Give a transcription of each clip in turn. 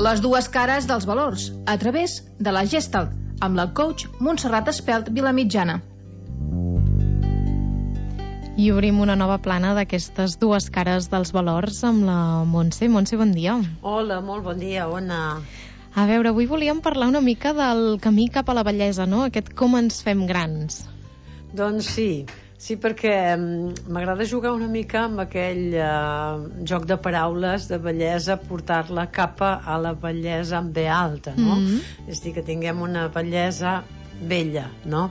Les dues cares dels valors, a través de la Gestalt, amb la coach Montserrat Espelt Vilamitjana. I obrim una nova plana d'aquestes dues cares dels valors amb la Montse. Montse, bon dia. Hola, molt bon dia, Ona. A veure, avui volíem parlar una mica del camí cap a la bellesa, no? Aquest com ens fem grans. Doncs sí, perquè m'agrada jugar una mica amb aquell joc de paraules de bellesa, portar-la cap a la bellesa amb B alta, no? És a dir, que tinguem una bellesa bella, no?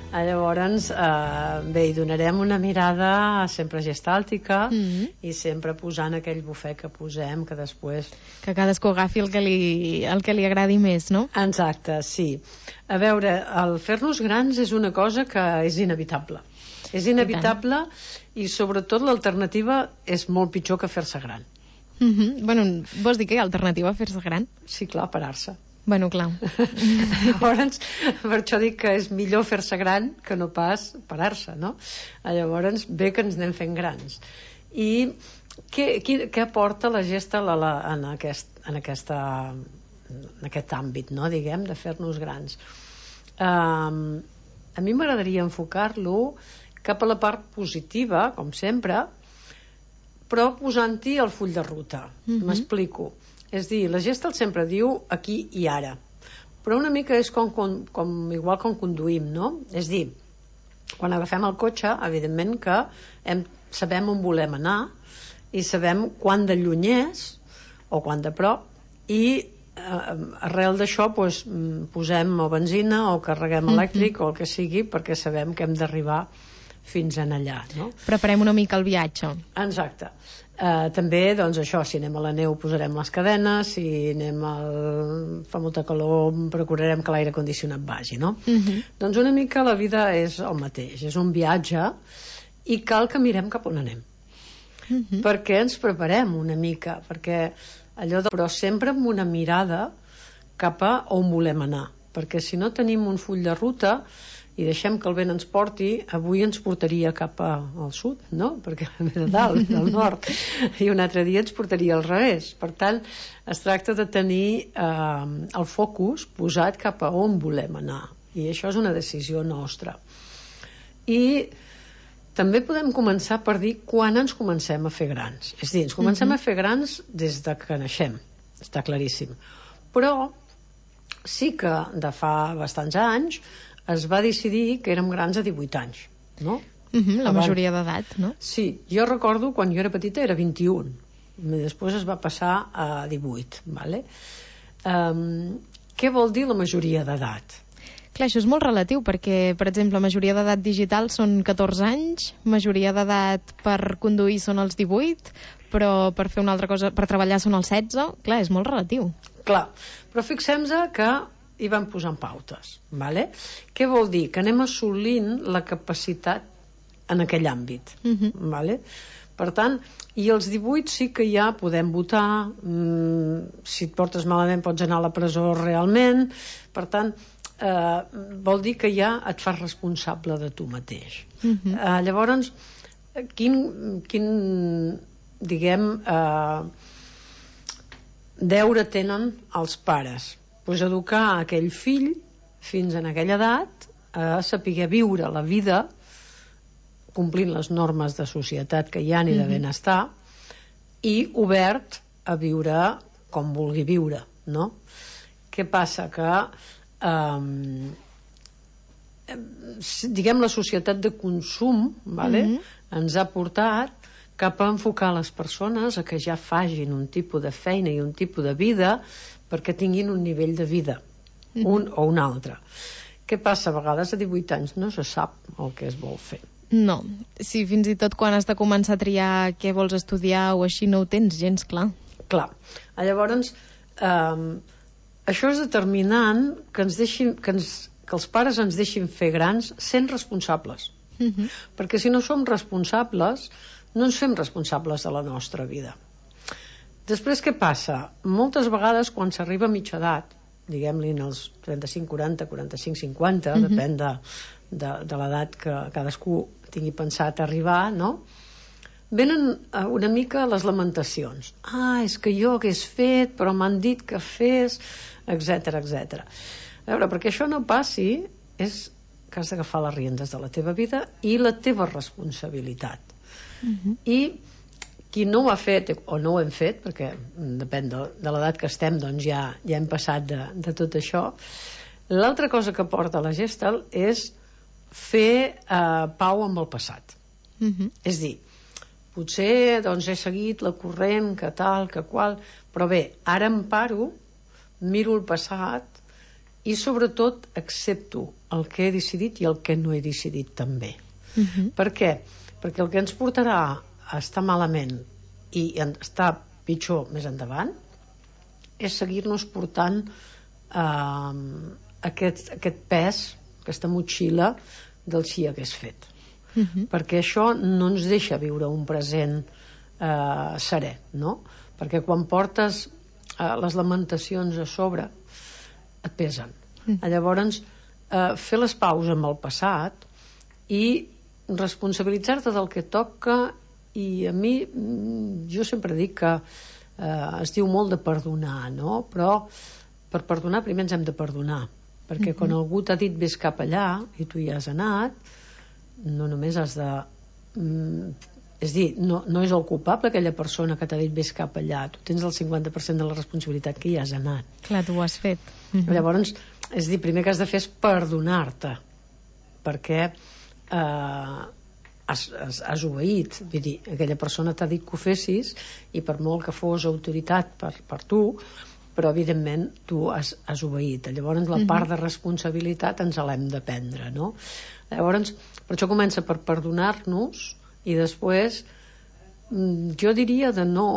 Llavors, bé, hi donarem una mirada sempre gestàltica i sempre posant aquell bufet que posem, que després... Que cadascú agafi el que li agradi més, no? Exacte, sí. A veure, el fer-nos grans és una cosa que és inevitable. És inevitable i sobretot l'alternativa és molt pitjor que fer-se gran. Bueno, vols dir que hi ha alternativa a fer-se gran? Sí, clar, parar-se. Bueno, clar. Llavors, per això dic que és millor fer-se gran que no pas parar-se, no? Llavors, bé que ens anem fent grans. I què aporta la Gestalt en aquest àmbit, no? Diguem, de fer-nos grans? A mi m'agradaria enfocar-lo cap a la part positiva, com sempre, però posant-hi el full de ruta. M'explico. És dir, la Gestalt sempre diu aquí i ara, però una mica és igual com conduïm, no? És dir, quan agafem el cotxe, evidentment que sabem on volem anar i sabem quan de lluny és o quan de prop, i arrel d'això posem o benzina o carreguem elèctric o el que sigui, perquè sabem que hem d'arribar fins en allà, no? Preparem una mica el viatge. Exacte. També, doncs això, si anem a la neu posarem les cadenes, si fa molta calor procurarem que l'aire condicionat vagi, no? Doncs una mica la vida és el mateix, és un viatge i cal que mirem cap on anem, perquè ens preparem una mica, però sempre amb una mirada cap a on volem anar, perquè si no tenim un full de ruta i deixem que el vent ens porti, avui ens portaria cap al sud, no? Perquè ve de dalt, del nord, i un altre dia ens portaria al revés. Per tant, es tracta de tenir el focus posat cap a on volem anar, i això és una decisió nostra. I també podem començar per dir quan ens comencem a fer grans. És a dir, ens comencem a fer grans des de que naixem, està claríssim. Però sí que de fa bastants anys es va decidir que érem grans a 18 anys, no? La majoria d'edat, no? Sí, jo recordo quan jo era petita era 21, i després es va passar a 18, vale? Què vol dir la majoria d'edat? Clar, això és molt relatiu, perquè, per exemple, majoria d'edat digital són 14 anys, majoria d'edat per conduir són els 18, però per fer una altra cosa, per treballar són els 16, clar, és molt relatiu. Clar, però fixem-nos que hi van posant pautes, vale? Què vol dir? Que anem assolint la capacitat en aquell àmbit, vale? Per tant, i als 18 sí que ja podem votar, si et portes malament pots anar a la presó realment, per tant, vol dir que ja et fas responsable de tu mateix. Llavors, quin diguem, deure tenen els pares? Pues educar aquell fill fins en aquella edat a saber viure la vida complint les normes de societat que hi ha i de benestar, i obert a viure com vulgui viure, no? Què passa? Que diguem, la societat de consum, vale? Ens ha portat cap a enfocar les persones a que ja facin un tipus de feina i un tipus de vida perquè tinguin un nivell de vida, un o un altre. Què passa? A vegades a 18 anys no se sap el que es vol fer. No, si fins i tot quan has de començar a triar què vols estudiar o així no ho tens gens clar. Clar. Llavors, això és determinant que els pares ens deixin fer grans sent responsables. Perquè si no som responsables, no ens fem responsables de la nostra vida. Després, què passa? Moltes vegades, quan s'arriba a mitja edat, diguem-li en els 35, 40, 45, 50, depèn de l'edat que cadascú tingui pensat arribar, no? venen una mica les lamentacions. És que jo hagués fet, però m'han dit que fes, etc etc. A veure, perquè això no passi, és que has d'agafar les riendes de la teva vida i la teva responsabilitat. I qui no ho ha fet o no ho hem fet, perquè depèn de l'edat que estem, doncs ja hem passat de tot això. L'altra cosa que porta la Gestalt és fer pau amb el passat. És dir, potser doncs, he seguit la corrent, que tal, que qual, però bé, ara em paro, miro el passat i sobretot accepto el que he decidit i el que no he decidit també. Per què? Perquè el que ens portarà a estar malament i estar pitjor més endavant és seguir-nos portant aquest pes, aquesta motxilla del si hagués fet. Perquè això no ens deixa viure un present serè, no? Perquè quan portes les lamentacions a sobre et pesen. Llavors, fer les paus amb el passat i responsabilitzar-te del que toca. I a mi, jo sempre dic que es diu molt de perdonar, no? Però per perdonar primer ens hem de perdonar, perquè quan algú t'ha dit vés cap allà i tu hi has anat, no només has de... és dir, no és el culpable aquella persona que t'ha dit vés cap allà, tu tens el 50% de la responsabilitat que hi has anat. Clar, tu ho has fet. Llavors, és dir, primer que has de fer és perdonar-te, perquè has obeït, vull dir, aquella persona t'ha dit que ho fessis i per molt que fos autoritat per tu, però evidentment tu has obeït. Llavors la part de responsabilitat ens l'hem de prendre, no? Llavors, per això comença per perdonar-nos i després jo diria de no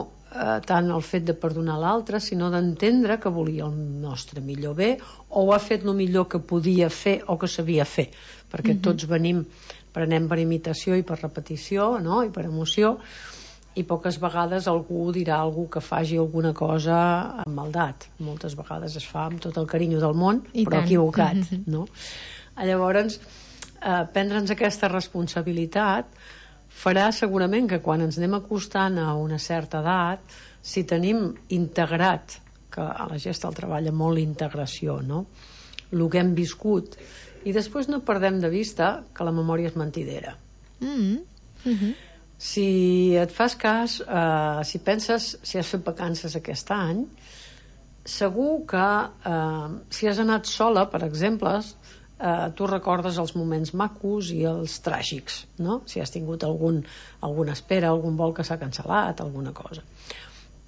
tant el fet de perdonar l'altre, sinó d'entendre que volia el nostre millor bé o ho ha fet el millor que podia fer o que sabia fer, perquè tots prenem per imitació i per repetició, no? I per emoció, i poques vegades algú dirà algú que faci alguna cosa amb maldat. Moltes vegades es fa amb tot el carinyo del món, però equivocat, no? Llavors, prendre'ns aquesta responsabilitat farà segurament que quan ens anem acostant a una certa edat, si tenim integrat, que a la Gestalt treballa molt l'integració, no? El que hem viscut, i després no perdem de vista que la memòria és mentidera. Si et fas cas, si penses si has fet vacances aquest any, segur que si has anat sola, per exemple, tu recordes els moments macos i els tràgics, no? Si has tingut alguna espera, algun vol que s'ha cancel·lat, alguna cosa.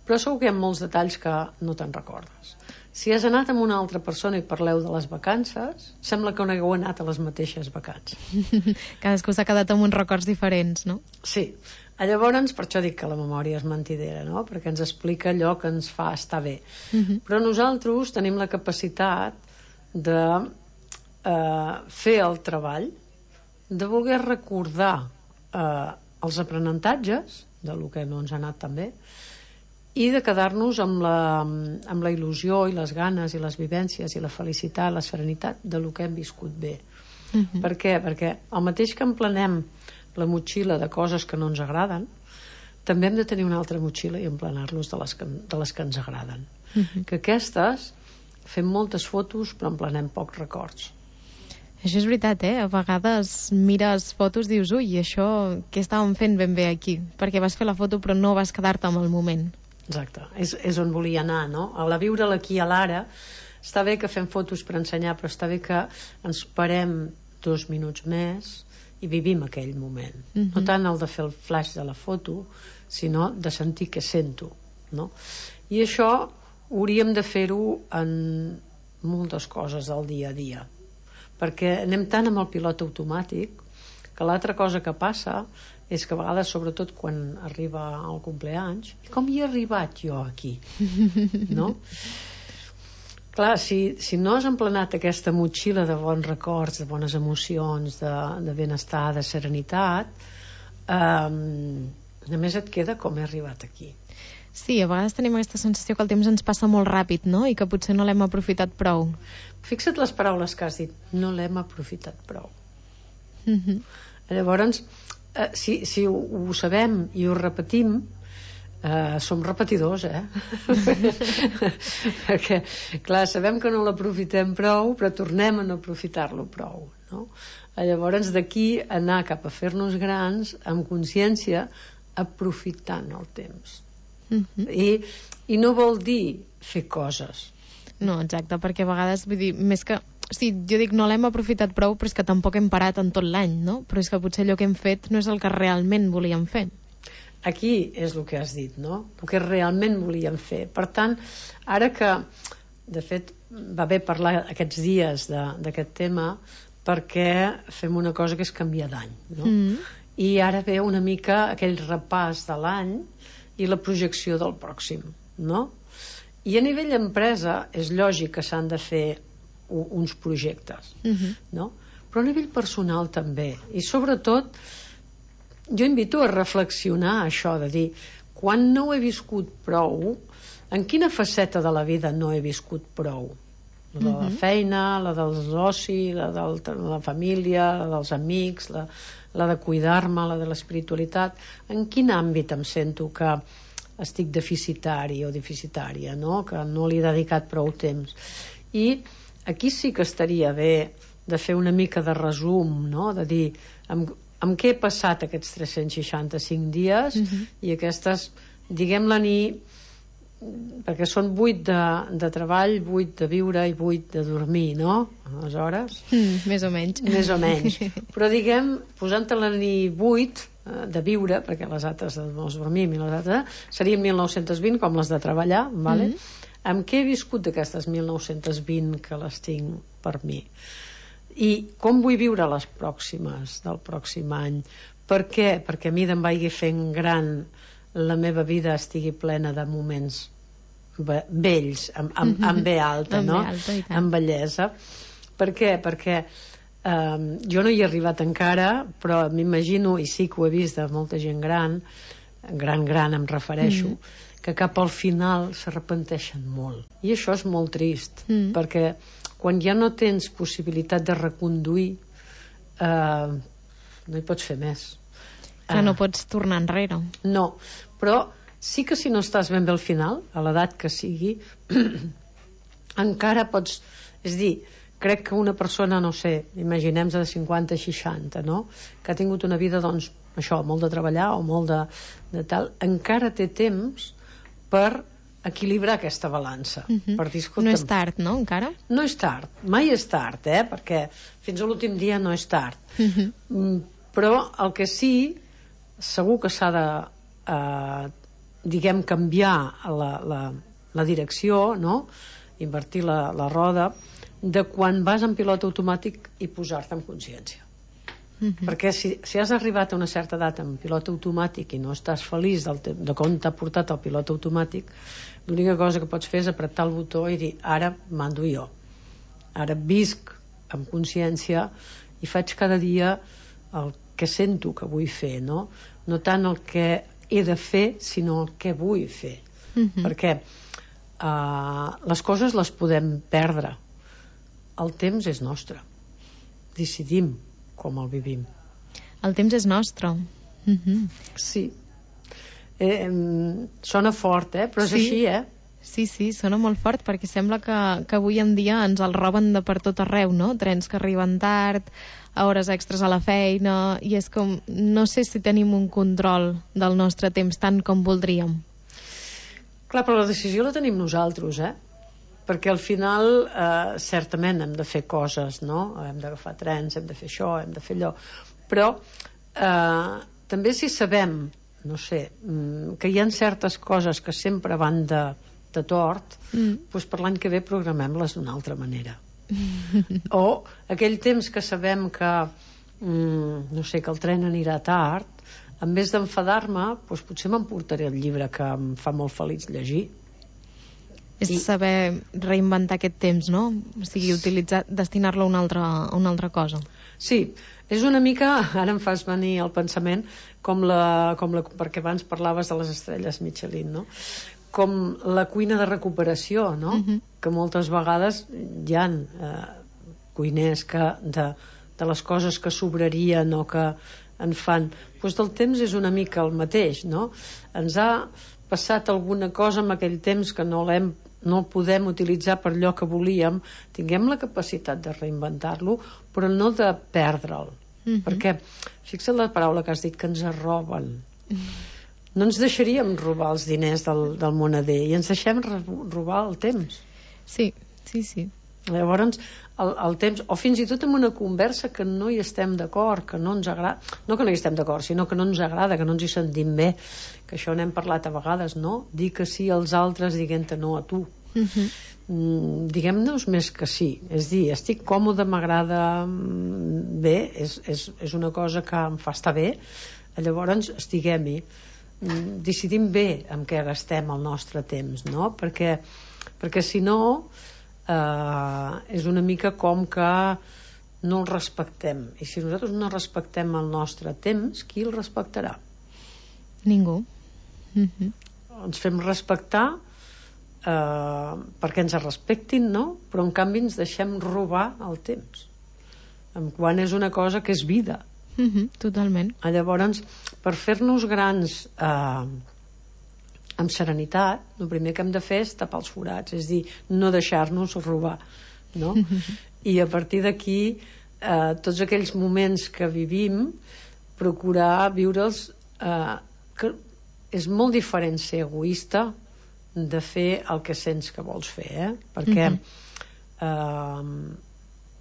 Però segur que hi ha molts detalls que no te'n recordes. Si has anat amb una altra persona i parleu de les vacances, sembla que no hagueu anat a les mateixes vacances. Cadascú s'ha quedat amb uns records diferents, no? Sí. Llavors, per això dic que la memòria és mentidera, no? Perquè ens explica allò que ens fa estar bé. Però nosaltres tenim la capacitat de fer el treball, de voler recordar els aprenentatges del que no ens ha anat tan bé, i de quedar-nos amb la il·lusió i les ganes i les vivències i la felicitat, la serenitat de lo que hem viscut bé. Per què? Perquè el mateix que emplenem la motxilla de coses que no ens agraden, també hem de tenir una altra motxilla i emplenar-los de les que ens agraden. Que aquestes fem moltes fotos però emplenem pocs records. Això és veritat, A vegades mires fotos i dius, ui, això què estàvem fent ben bé aquí? Perquè vas fer la foto però no vas quedar-te amb el moment. Exacte, és on volia anar, no? A la viure l'aquí a l'ara, està bé que fem fotos per ensenyar, però està bé que ens parem 2 minuts més i vivim aquell moment. No tant el de fer el flash de la foto, sinó de sentir què sento, no? I això hauríem de fer-ho en moltes coses del dia a dia, perquè anem tant amb el pilot automàtic que l'altra cosa que passa és que a vegades, sobretot quan arriba el compleanys, com hi he arribat jo aquí? No? Clar, si no has emplenat aquesta motxilla de bons records, de bones emocions, de benestar, de serenitat, només et queda com he arribat aquí. Sí, a vegades tenim aquesta sensació que el temps ens passa molt ràpid, no? I que potser no l'hem aprofitat prou. Fixa't les paraules que has dit, no l'hem aprofitat prou. Llavors, si ho sabem i ho repetim, som repetidors, perquè, clar, sabem que no l'aprofitem prou, però tornem a no aprofitar-lo prou, no? Llavors, d'aquí anar cap a fer-nos grans amb consciència, aprofitant el temps. I no vol dir fer coses. No, exacte, perquè a vegades, vull dir, més que... Sí, jo dic, no l'hem aprofitat prou, però és que tampoc hem parat en tot l'any, no? Però és que potser allò que hem fet no és el que realment volíem fer. Aquí és el que has dit, no? El que realment volíem fer. Per tant, ara que, de fet, va bé parlar aquests dies d'aquest tema, perquè fem una cosa que és canviar d'any, no? I ara ve una mica aquell repàs de l'any i la projecció del pròxim, no? I a nivell empresa és lògic que s'han de fer uns projectes, no? Però a nivell personal també. I sobretot jo invito a reflexionar això, de dir, quan no ho he viscut prou, en quina faceta de la vida no he viscut prou? La de la feina, la dels oci, la de la família, la dels amics, la de cuidar-me, la de l'espiritualitat. En quin àmbit em sento que estic deficitari o deficitària, no? Que no li he dedicat prou temps? I aquí sí que estaria bé de fer una mica de resum, no? De dir, amb què he passat aquests 365 dies i aquestes, diguem-la ni, perquè són 8 de treball, 8 de viure i 8 de dormir, no? Aleshores... Més o menys. Més o menys. Però diguem, posant-la ni 8 de viure, perquè les altres de dormim i les altres serien 1920 com les de treballar, vale? Amb què he viscut d'aquestes 1920 que les tinc per mi? I com vull viure les pròximes del pròxim any? Per què? Perquè a mi em vagi fent gran, la meva vida estigui plena de moments bells, amb B alta, no? Amb bellesa. Per què? Perquè jo no hi he arribat encara, però m'imagino, i sí que ho he vist de molta gent gran em refereixo, que cap al final s'arrepenteixen molt. I això és molt trist, perquè quan ja no tens possibilitat de reconduir, no hi pots fer més. Que no pots tornar enrere. No, però sí que si no estàs ben bé al final, a l'edat que sigui, encara pots... És dir, crec que una persona, no sé, imaginem-se de 50 a 60, no? Que ha tingut una vida, doncs, això, molt de treballar o molt de tal, encara té temps per equilibrar aquesta balança. Per dir, escolta'm, no és tard, no, encara? No és tard, mai és tard, perquè fins a l'últim dia no és tard. Però el que sí, segur que s'ha de, diguem, canviar la direcció, no? Invertir la roda, de quan vas en pilot automàtic i posar-te en consciència. Perquè si has arribat a una certa edat en pilot automàtic i no estàs feliç de com t'ha portat el pilot automàtic, l'única cosa que pots fer és apretar el botó i dir, ara mando jo, ara visc amb consciència i faig cada dia el que sento que vull fer, no tant el que he de fer, sinó el que vull fer. Perquè les coses les podem perdre, el temps és nostre, decidim com el vivim. El temps és nostre. Sí. Sona fort, però és així, Sí, sona molt fort, perquè sembla que avui en dia ens el roben de per tot arreu, no? Trens que arriben tard, hores extres a la feina, i és com, no sé si tenim un control del nostre temps tant com voldríem. Clar, però la decisió la tenim nosaltres, perquè al final certament hem de fer coses, no? Hem d'agafar trens, hem de fer això, hem de fer allò, però també si sabem, no sé, que hi ha certes coses que sempre van de tort, doncs per l'any que ve programem-les d'una altra manera. O aquell temps que sabem que no sé, que el tren anirà tard, en vez d'enfadar-me, doncs potser m'emportaré el llibre que em fa molt feliç llegir. És saber reinventar aquest temps, no? O sigui, destinar-lo a una altra cosa. Sí, és una mica, ara em fas venir el pensament, perquè abans parlaves de les estrelles Michelin, no? Com la cuina de recuperació, no? Que moltes vegades hi ha cuiners que de les coses que sobrarien o que en fan. Doncs el temps és una mica el mateix, no? Ens ha passat alguna cosa en aquell temps que no el podem utilitzar per allò que volíem, tinguem la capacitat de reinventar-lo, però no de perdre'l. Perquè, fixa't la paraula que has dit, que ens roben. No ens deixaríem robar els diners del moneder i ens deixem robar el temps. Sí. Llavors, el temps, o fins i tot en una conversa que no hi estem d'acord, que no ens agrada, no que no hi estem d'acord, sinó que no ens agrada, que no ens hi sentim bé, que això n'hem parlat a vegades, no? Dir que sí als altres dient-te no a tu. Diguem-nos més que sí, és dir, estic còmode, m'agrada, bé, és una cosa que em fa estar bé, llavors estiguem-hi, decidim bé amb què gastem el nostre temps, no? Perquè si no és una mica com que no el respectem, i si nosaltres no respectem el nostre temps, qui el respectarà? Ningú. Ens fem respectar perquè ens respectin, no? Però en canvi ens deixem robar el temps, quan és una cosa que és vida. Totalment. Llavors, per fer-nos grans amb serenitat, el primer que hem de fer és tapar els forats, és dir, no deixar-nos robar, no? I a partir d'aquí, tots aquells moments que vivim, procurar viure'ls, que és molt diferent ser egoista de fer el que sents que vols fer, perquè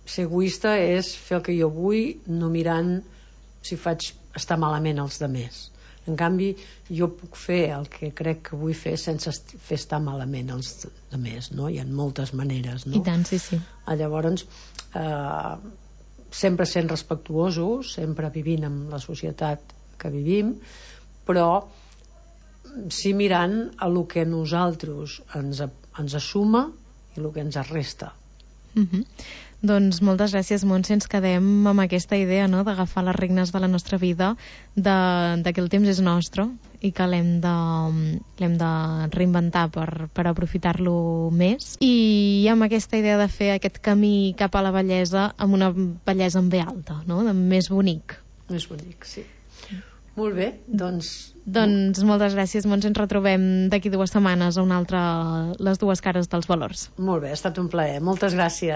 ser egoista és fer el que jo vull, no mirant si faig estar malament els demés. En canvi, jo puc fer el que crec que vull fer sense fer estar malament els demés, no? Hi ha moltes maneres, no? I tant, sí. Llavors, sempre sent respectuosos, sempre vivint en la societat que vivim, però sí mirant a lo que nosaltres ens assuma i el que ens resta. Doncs moltes gràcies, Montse. Ens quedem amb aquesta idea, no?, d'agafar les regnes de la nostra vida, de que el temps és nostre i que l'hem de reinventar per aprofitar-lo més, i amb aquesta idea de fer aquest camí cap a la bellesa amb una bellesa en B alta, no?, més bonic. Més bonic, sí. Molt bé, doncs moltes gràcies, Montse. Ens retrobem d'aquí 2 setmanes a una altra Les dues cares dels valors. Molt bé, ha estat un plaer. Moltes gràcies.